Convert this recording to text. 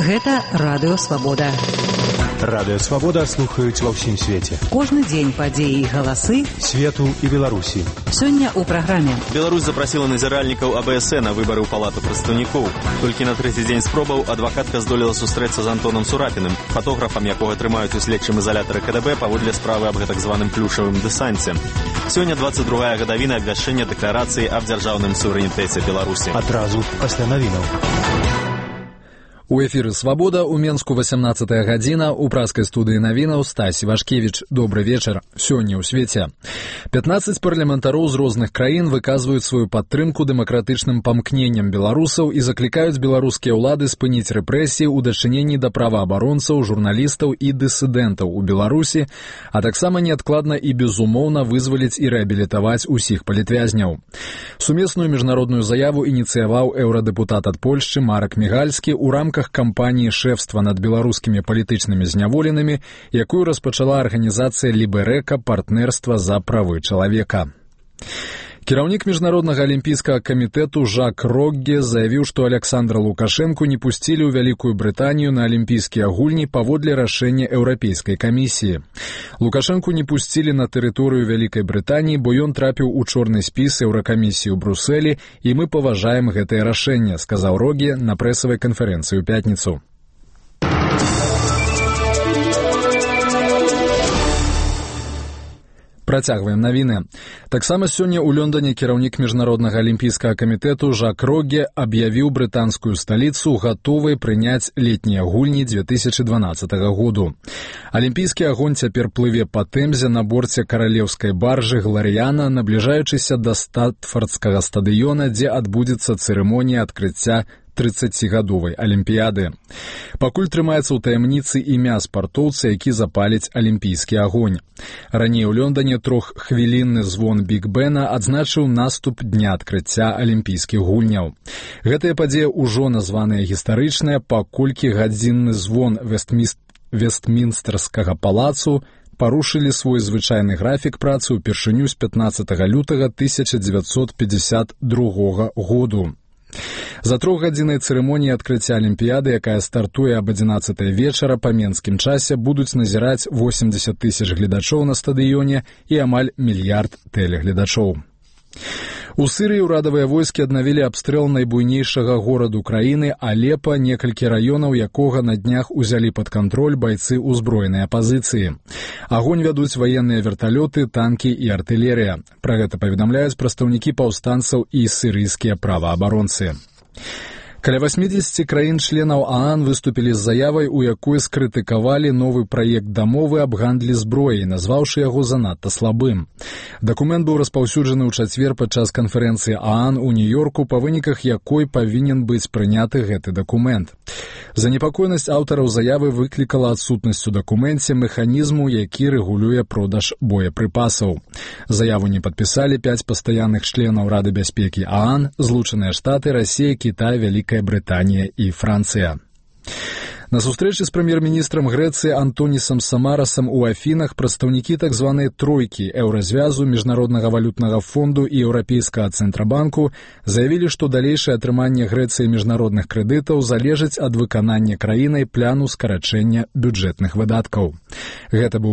Гэта Радыё Свабода. Радыё Свабода слухаюць ва ўсім свеце. Кожны дзень падзеі і галасы свету і Беларусі. Сёння ў праграме. Беларусь запрасіла назіральнікаў АБС на выбары ў палату прадстаўнікоў. Толькі на трэці дзень спробаў адвакатка здолела сустрэцца з Антонам Сурапіным, фотографам, якога трымаюць у следчым ізалятары КДБ паводле справы аб гэтак званым плюшавым дэсанце. Сёння 22-я гадавіна абвяшчэння дэкларацыі аб дзяржаўным суверэнітэце Беларусі. Адразу пасля навінаў. У эфіры «Свабода» у Менску 18-я гадзіна, у праскай студыі навінаў Стась Івашкевіч. Добры вечар. Сёння ў свеце. 15 парламентароў з розных краін выказваюць сваю падтрымку дэмакратычным памкненням беларусаў і заклікаюць беларускія ўлады спыніць рэпрэсіі ў дачыненні да праваабаронцаў, журналістаў і дысідэнтаў у Беларусі, а таксама неадкладна і безумоўна вызваліць і рэабілітаваць усіх палітвязняў. Сумесную міжнародную заяву ініцыяваў еўрадэпутат ад Польшчы Марак Мігальскі ў рамках кампаніі шэфства над беларускімі палітычнымі зняволенымі, якую распачала арганізацыя Ліберэка партнерства за правы чалавека. Кіраўнік міжнароднага алімпійскага камітэту Жак Рогге заявіў, што Александра Лукашэнку не пусцілі ў Вялікую Брытанію на алімпійскія гульні паводле рашэння Еўрапейскай камісіі. Лукашэнку не пусцілі на тэрыторыю Вялікай Брытаніі, бо ён трапіў у чорны спіс Еўракамісіі ў Брусэлі, і мы паважаем гэтае рашэнне, сказаў Рогге на прэсавай канферэнцыі ў пятніцу. Працягваем навіны. Таксама сёння ў Лондоне кіраўнік міжнароднага алімпійскага камітэту Жак Рогге аб'явіў брытанскую сталіцу гатовай прыняць летнія гульні 2012 году. Алімпійскі агонь цяпер плыве па Тэмзе на борце каралеўскай баржы «Гларіяна», набліжаючыся да Статфордскага стадыёна, дзе адбудзецца цырымонія адкрыцця 30-гадовай алімпіяды. Пакуль трымаецца ў таямніцы імя спартоўца, які запаліць алімпійскі агонь. Раней у Лондоне троххвілінны звон Біг-Бена адзначыў наступ дня адкрыцця алімпійскіх гульняў. Гэтая падзея ўжо названая гістарычная, паколькі гадзінны звон Вестмінстэрскага палацу парушылі свой звычайны графік працы ўпершыню з 15 лютага 1952 году. За трохгадзіннай цырымоніі адкрыцця алімпіяды, якая стартуе аб 11 вечара па менскім часе, будуць назіраць 80 тысяч гледачоў на стадыёне і амаль мільярд тэлегледачоў. У Сырыі ўрадавыя войскі аднавілі абстрэл найбуйнейшага гораду краіны Алепа, некалькі раёнаў якога на днях узялі пад кантроль байцы ўзброенай апазіцыі. Агонь вядуць ваенныя верталёты, танкі і артылерыя. Пра гэта паведамляюць прадстаўнікі паўстанцаў і сірыйскія праваабаронцы. Каля 80 краін-членаў ААН выступілі з заявай, у якой скрытыкавалі новы праект дамовы аб гандлі зброяй, назваўшы яго занадта слабым. Дакумент быў распаўсюджаны ў чацвер падчас канферэнцыі ААН у Нью-Йорку, па выніках якой павінен быць прыняты гэты дакумент. Занепакоенасць аўтараў заявы выклікала адсутнасць у дакуменце механізму, які рэгулюе продаж боепрыпасаў. Заяву не падпісалі 5 пастаянных членаў Рады бяспекі ААН, Злучаныя Штаты, Расія, Кітай, Вялікая Брытанія і Францыя. На сустрэчы з прэм'ер-міністрам Грэцыі Антонісам Самарасам у Афінах прадстаўнікі так званай тройкі Еўразвязу, Міжнароднага валютнага фонду і Еўрапейскага цэнтрабанку заявілі, што далейшае атрыманне Грэцыі міжнародных крэдытаў залежыць ад выканання краінай плану скарачэння бюджэтных выдаткаў. Гэта быў